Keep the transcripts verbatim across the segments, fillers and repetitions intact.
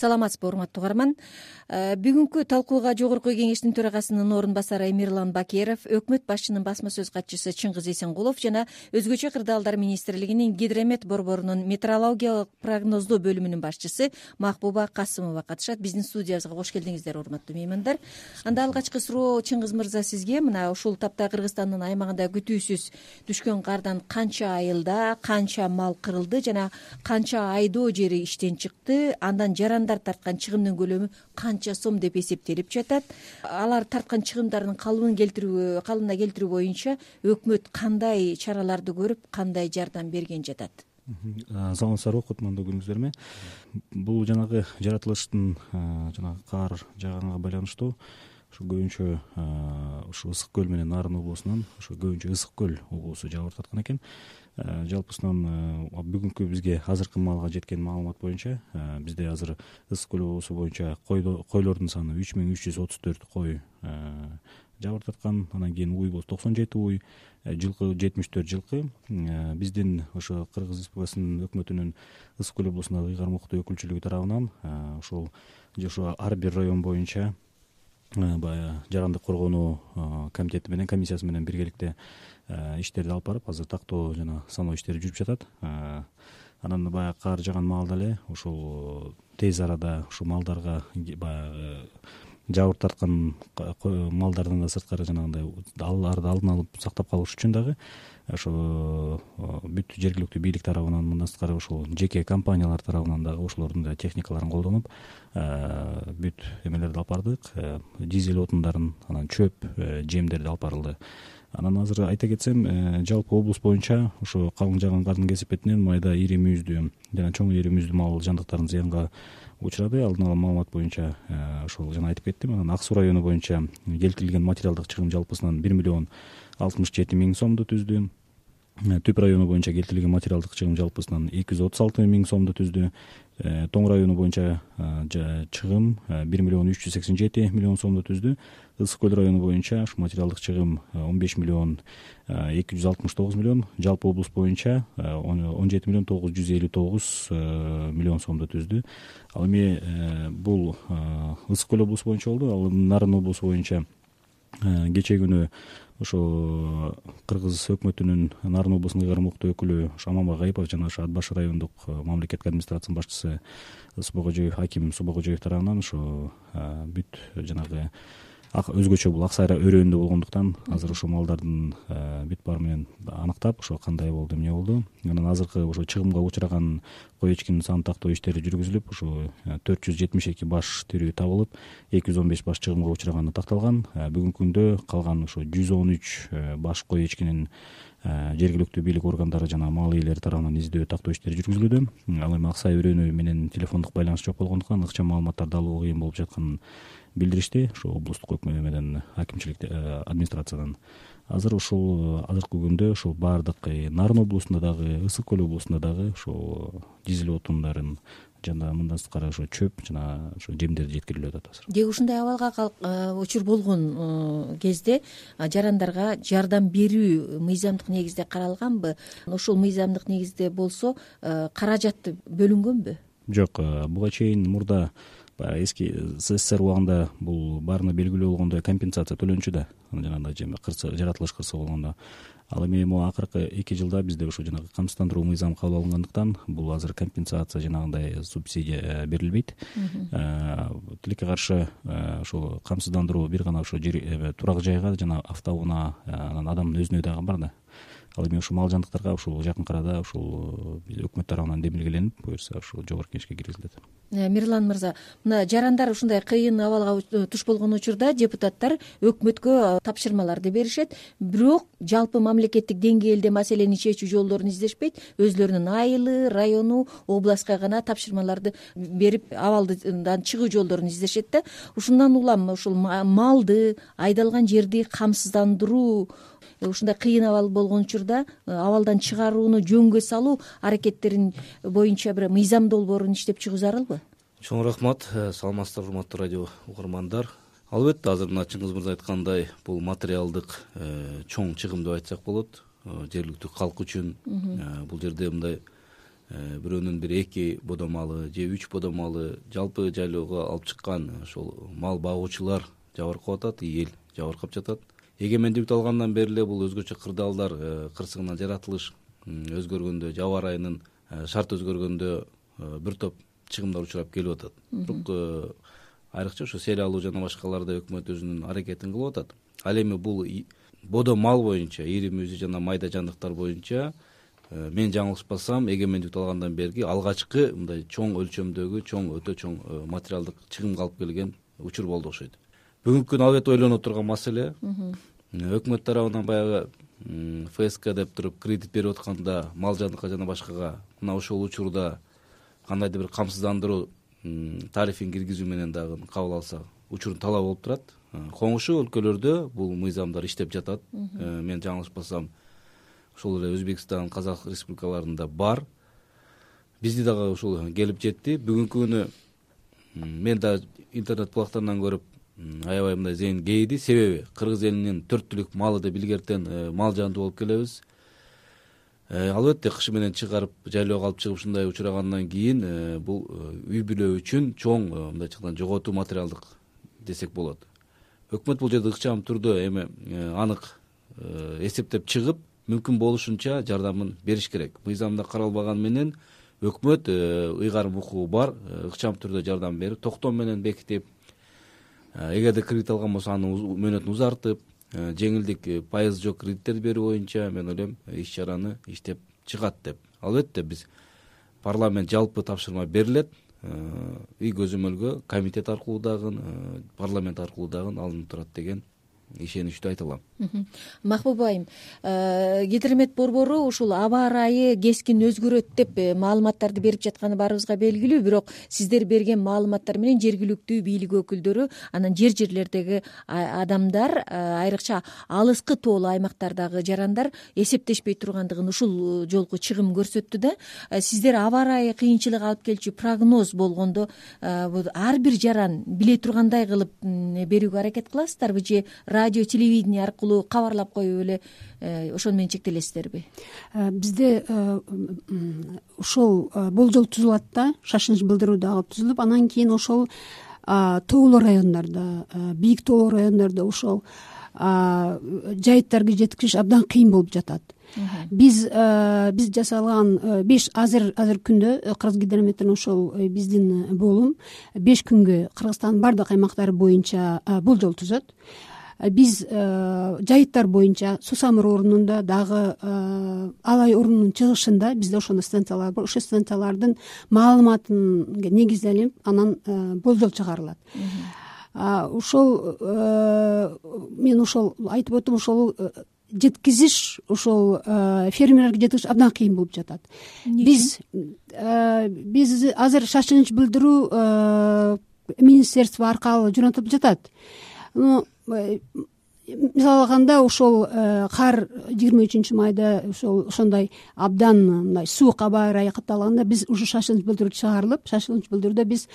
саламатсызбы урматтуу угарман. Бүгүнкү талкууга Жогорку Кеңештин төрагасынын орун басары Эмирлан Бакеров, өкмөт башчынын басма сөз катчысы Чыңгыз Эсенгулов жана Өзгөчө кырдаалдар министрлигинин Гидромет борборунун метеорологиялык прогноздоо бөлүмүнүн башчысы Махбуба Касымова катышат. Биздин студиябызга кош келдиңиздер, урматтуу меймандар. Анда алгачкы суроо Чыңгыз мырза сизге. Мына ушул тапта Кыргызстандын аймагында күтүүсүз түшкөн кардан канча айылда канча мал кырылды жана канча айдоо жери иштен чыкты, андан жарандар тарткан чыгымдын көлөмү канча сом деп эсептелип жатат. Алар тарткан чыгымдардын калыбын келтирүү калыбына келтирүү боюнча өкмөт кандай чараларды көрүп, кандай жардам берген жатат? Саламатсыздарбы, кутмандуу күнүңүздөр. Бул жанагы жаратылыштын жанагы кар жааганга байланыштуу ушу көбүнчө ушу Ысык көл менен Нарын облусунан ушу көбүнчө Ысык көл облусу жабыр тарткан экен. Жалпысынан бүгүнкү бизге азыркы маалга жеткен маалымат боюнча бизде азыр Ысык көл облусу боюнча койлордун саны үч миң үч жүз отуз төрт кой жабыр тарткан. Анан кийин уй болсо токсон жети уй, жылкы жетимиш төрт жылкы. Биздин ошо Кыргыз Республикасынын өкмөтүнүн Ысык көл облусундагы ыйгармуктуу өкүлчүлүгү тарабынан ушул ошо ар бир район боюнча баягы жарандык коргонуу комитети менен комиссиясы менен биргеликте иштерди алып барып, азыр тактоо жана саноо иштери жүрүп жатат. Анан баягы кар жааган маалда эле ушул тез арада ушу малдарга баягы жабыр тарткан малдардын да сырткары жанагындай аларды алдын алып сактап калыш үчүн дагы ошо бүт жергиликтүү бийлик тарабынан, мындан сырткары ушул жеке компаниялар тарабынан дагы ошолордун да техникаларын колдонуп бүт эмелерди алып бардык. Дизель отундарын, анан чөп, жемдерди алып барылды. Анан азыр айта кетсем, жалпы облус боюнча ошо калың жааган кардын кесепетинен майда ири мүйүздүү жана чоң ири мүйүздүү мал жандыктардын зыянга учурады. Алдын ала маалымат боюнча ошол жана айтып кеттим. Анан Ак суу району боюнча келтирилген материалдык чыгым жалпысынан бир миллион алтымыш жети миң сомду түздү. Түп району боюнча келтирилген материалдык чыгым жалпысынан эки жүз отуз алты миң сомду түздү. Тоң району боюнча чыгым бир миллион үч жүз сексен жети миллион сомду түздү. Ысык көл району боюнча ушу материалдык чыгым он беш миллион эки жүз алтымыш тогуз миллион, жалпы облус боюнча он жети миллион тогуз жүз элүү тогуз миллион сомду түздү. Ал эми бул Ысык көл облусу боюнча болду. Ал Нарын облусу боюнча кечээ күнү ошо Кыргыз өкмөтүнүн Нарын облусунун ыйгармуктуу өкүлү Аманбай Гайыпов жана ошо Ат башы райондук мамлекеттик администрациянын башчысы Субакожоев Аким Субакожоев тарабынан ошо бүт жанагы өзгөчө бул Ак Сайра өрөөнүндө болгондуктан азыр ошо малдардын бүт баары менен аныктап ошо кандай болду, эмне болду. Анан азыркы ошо чыгымга учураган кой эчкинин санын тактоо иштери жүргүзүлүп, ошо төрт жүз жетимиш эки баш тирүү табылып, эки жүз он беш баш чыгымга учураганы такталган. Бүгүнкү күндө калган ошо жүз он үч баш кой эчкинин жергиликтүү бийлик органдары жана мал ээлери тарабынан издөө тактоо иштери жүргүзүлүүдө. Ал эми Ак Сай өрөөнү менен телефондук байланыш жок болгондуктан ыкчам маалыматтарды алуу кыйын болуп жатканын билдиришти ошо облустук өкмөт менен акимчилик администрациядан. Азыр ушул азыркы күндө ушул баардык Нарын облусунда дагы, Ысык көл облусунда дагы ошо дизель отундарын жана мындан сырткары ошо чөп жана ошо жемдерди жеткирилип атат азыр. Деги ушундай абалга учур болгон кезде жарандарга жардам берүү мыйзамдык негизде каралганбы? Ошол мыйзамдык негизде болсо каражаты бөлүнгөнбү? Жок, буга чейин мурда эски СССР убагында бул баарына белгилүү болгондой компенсация төлөнчү да, жанагындай жаратылыш кырсыгы болгондо. Ал эми могу акыркы эки жылда бизде ошо жанагы камсыздандыруу мыйзамы кабыл алынгандыктан бул азыр компенсация жанагындай субсидия берилбейт. Тилекке каршы ошо камсыздандыруу бир гана ошо турак жайга жана автоунаа, анан адамдын өзүнө дагы бар да. Ал эми ушул мал жандыктарга ушул жакын арада ушул өкмөт тарабынан демилгеленип, буюрса ушул жогорку кеңешке киргизилет. Мирлан мырза, мына жарандар ушундай кыйын абалга туш болгон учурда депутаттар өкмөткө тапшырмаларды беришет, бирок жалпы мамлекеттик деңгээлде маселени чечүү жолдорун издешпейт, өзлөрүнүн айылы, району, областка гана тапшырмаларды берип абалдан чыгуу жолдорун издешет да. Ушундан улам ушул малды, айдалган жерди камсыздандыруу ушундай кыйын абал болгон учурда абалдан чыгарууну жөнгө салуу аракеттерин боюнча бир мыйзам долбоорун иштеп чыгуу зарылбы? Чоң рахмат. Саламатсыздарбы, урматтуу радио угармандар. Албетте, азыр мына Чыңгыз мырза айткандай, бул материалдык чоң чыгым деп айтсак болот. Жергиликтүү калк үчүн бул жерде мындай бирөөнүн бир эки бодо малы же үч бодо малы жалпы жайлоого алып чыккан ошол мал багуучулар жабыркап атат, эл жабыркап жатат. Эгемендик алгандан бери эле бул өзгөчө кырдаалдар кырсыгынан жаратылыш өзгөргөндө, аба ырайынын шарт өзгөргөндө бир топ чыгымдар учурап келип атат. Бирок айрыкча ошо сел алуу жана башкаларда өкмөт өзүнүн аракетин кылып атат. Ал эми бул бодо мал боюнча, ири мүйзү жана майда жандыктар боюнча мен жаңылышпасам, эгемендик алгандан берги алгачкы мындай чоң өлчөмдөгү, чоң өтө чоң материалдык чыгымга алып келген учур болду окшойт. Бүгүнкү күнү албетте ойлонуп турган маселе. Өкмөт тарабынан баягы ФСК деп туруп кредит берип атканда мал жандыкка жана башкага мына ошол учурда кандайдыр бир камсыздандыруу тарифин киргизүү менен дагы кабыл алса учурун талап болуп турат. Коңшу өлкөлөрдө бул мыйзамдар иштеп жатат. Мен жаңылышпасам, ошол эле Өзбекстан, Казак республикаларында бар. Бизди дагы ушул келип жетти. Бүгүнкү күнү мен да интернет булактарынан көрүп аябай мындай зейин кейди. Себеби кыргыз элинин төрт түлүк малы деп илгертен мал жанды болуп келебиз. Албетте кыш менен чыгарып жайлоого алып чыгып ушундай учурагандан кийин бул үй бүлө үчүн чоң мындайча жоготуу материалдык десек болот. Өкмөт бул жерде ыкчам түрдө эми анык эсептеп чыгып, мүмкүн болушунча жардамын бериш керек. Мыйзамда каралбаган менен өкмөт ыйгарым укугу бар, ыкчам түрдө жардам берип, токтом менен бекитип, эгерде кредит алган болсо аны мөөнөтүн узартып, жеңилдик пайыз жок кредиттерди берүү боюнча мен ойлойм иш чараны иштеп чыгат деп. Албетте биз парламент жалпы тапшырма берилет, үй көзөмөлгө комитет аркылуу дагы, парламент аркылуу дагы алынып турат деген ишеничтүү айта алам. Махбуба айым, гидромет борбору ушул аба ырайы кескин өзгөрөт деп маалыматтарды берип жатканы баарыбызга белгилүү, бирок сиздер берген маалыматтар менен жергиликтүү бийлик өкүлдөрү, анан жер жерлердеги адамдар, айрыкча алыскы тоолуу аймактардагы жарандар эсептешпей тургандыгын ушул жолку чыгым көрсөттү да. Сиздер аба ырайы кыйынчылык алып келчү прогноз болгондо ар бир жаран биле тургандай кылып берүүгө аракет кыласыздарбы же радио, телевидение аркылуу кабарлап коюп эле ошону менен чектелесиздерби? Бизде ошол болжол тузулат да, шашылыш билдирүү дагы тузулуп, анан кийин ошол тоолуу райондордо, бийик тоолуу райондордо ошол жайыттарга жеткириш абдан кыйын болуп жатат. Биз биз жасалган беш азыр азыр күндө Кыргызгидрометтердин ошол биздин болум беш күнгө Кыргызстандын бардык аймактары боюнча болжол тузат. Биз жайыттар боюнча Сусамыр орнунда дагы Алай орнунун чыгышында бизде ошондой станциялар бар. Ошол станциялардын маалыматын негизделип анан болжол чыгарылат. Ошол мен ошол айтып өттүм, ошол жеткизиш, ошол фермерлерге жеткизиш абдан кыйын болуп жатат. Биз биз азыр шашылыш билдирүү министерство аркылуу жөнөтүлүп жатат. Мисалы алганда ошол кар жыйырма үчүнчү майда ошол ошондой абдан мындай суук аба ырайы катталганда биз ушу шашылыш билдирүү чыгарылып, шашылыш билдирүүдө биз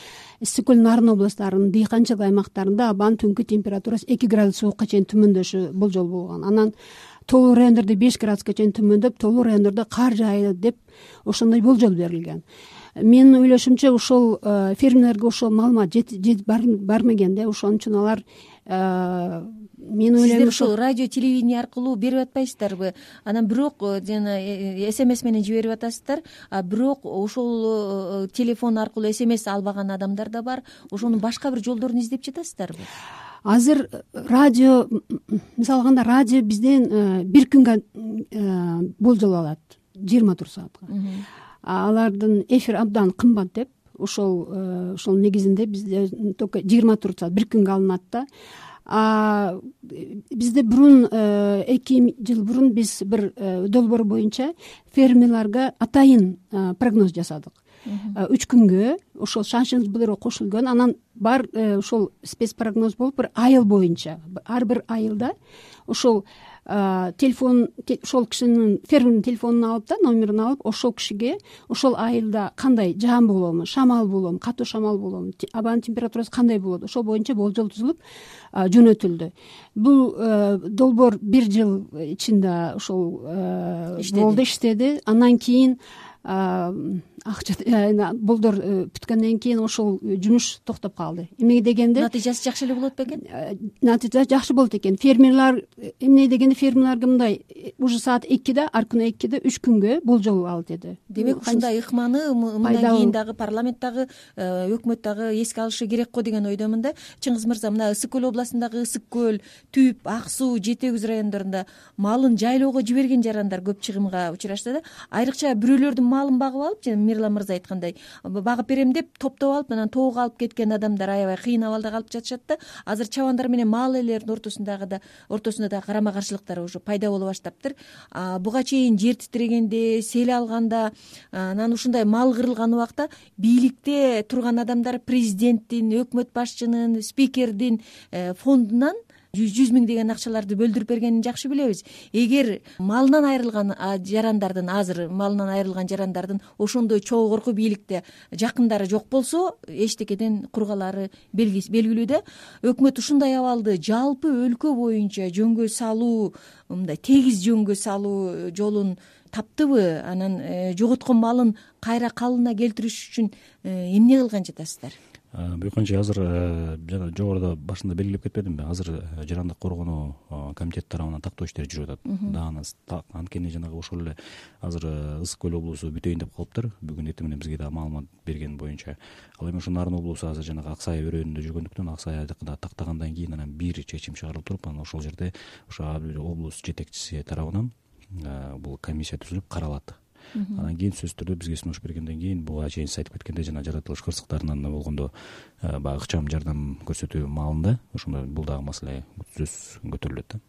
Ысык көл, Нарын областарынын дыйканчылык аймактарында абанын түнкү температурасы эки градус суукка чейин төмөндөшү болжол болгон. Анан тоолуу райондордо беш градуска чейин төмөндөп, тоолуу райондордо кар жаайт деп ошондой болжол берилген. Менин ойлошумча ошол фермерлерге ошол маалымат жетип бармаган да, ошон үчүн алар мен ойлойм сиздер ушул радио, телевидение аркылуу берип атпайсыздарбы? Анан бирок жана смс менен жиберип атасыздар, а бирок ошол телефон аркылуу смс албаган адамдар да бар. Ошонун башка бир жолдорун издеп жатасыздарбы? Азыр радио, мисалы алганда радио бизден бир күнгө болжол алат, жыйырма төрт саатка. Алардын эфир абдан кымбат деп, ошол ошол негизинде бизде только жыйырма төрт саат бир күнгө алынат да. Бизде бурун эки жыл бурун биз бир долбоор боюнча фермерлерге атайын прогноз жасадык. Үч күнгө ошол шашылыш билдирүү кошулган, анан бар ошол спец прогноз болуп бир айыл боюнча, ар бир айылда ошол телефон, ошол кишинин фермердин телефонун алып да, номерин алып, ошол кишиге ошол айылда кандай жаан болобу, шамал болобу, катуу шамал болобу, абанын температурасы кандай болот, ошол боюнча болжол тузулуп жөнөтүлдү. Бул долбоор бир жыл ичинде ошол болду, иштеди. Андан кийин акча болдор бүткөндөн кийин ошол жумуш токтоп калды. Эмне дегенде натыйжасы жакшы эле болот бекен? Натыйжа жакшы болот экен. Фермерлер эмне дегенде фермерлерге мындай уже саат экиде, ар күнү экиде үч күнгө болжол ал деди. Демек ушундай ыкманы мындан кийин дагы парламент дагы өкмөт дагы эске алышы керек го деген ойдомун да. Чыңгыз мырза, мына Ысык көл областындагы Ысык көл, Түп, Ак суу, Жети Өгүз райондорунда малын жайлоого жиберген жарандар көп чыгымга учурашты да. Айрыкча бирөөлөрдүн малын багып алып, жана Мирлан мырза айткандай, багып берем деп топтоп алып анан тоого алып кеткен адамдар аябай кыйын абалда калып жатышат да. Азыр чабандар менен мал ээлеринин ортосундагы да ортосунда да карама каршылыктар уже пайда боло баштаптыр. Буга чейин жер титирегенде, сел алганда, анан ушундай мал кырылган убакта бийликте турган адамдар президенттин, өкмөт башчынын, спикердин фондунан жүз миңдеген акчаларды бөлдүрүп бергенин жакшы билебиз. Эгер малынан айрылган жарандардын, азыр малынан айрылган жарандардын ошондой чогуу бийликте жакындары жок болсо, эчтекеден кургалары белгилүү да. Өкмөт ушундай абалды жалпы өлкө боюнча жөнгө салуу, мындай тегиз жөнгө салуу жолун таптыбы? Анан жоготкон малын кайра калыбына келтириш үчүн эмне кылган жатасыздар? Бүйкөнчү азыр жана жогоруда башында белгилеп кетпедимби, азыр жарандык коргонуу комитети тарабынан тактоо иштери жүрүп атат. Дагы анткени жанагы ошол эле азыр Ысык көл облусу бүтөйүн деп калыптыр. Бүгүн эртең менен бизге дагы маалымат берген боюнча. Ал эми ошо Нарын облусу азыр жанагы Ак Сай өрөөнүндө жүргөндүктөн Ак Сайды тактагандан кийин анан бир чечим чыгарылып туруп, анан ошол жерде ошо облус жетекчиси тарабынан бул комиссия түзүлүп каралат. Анан кийин сөзсүз түрдө бизге сунуш бергенден кийин буга чейин сиз айтып кеткендей жана жаратылыш кырсыктарынан болгондо баягы ыкчам жардам көрсөтүү маалында ошондо бул дагы маселе сөзсүз көтөрүлөт да.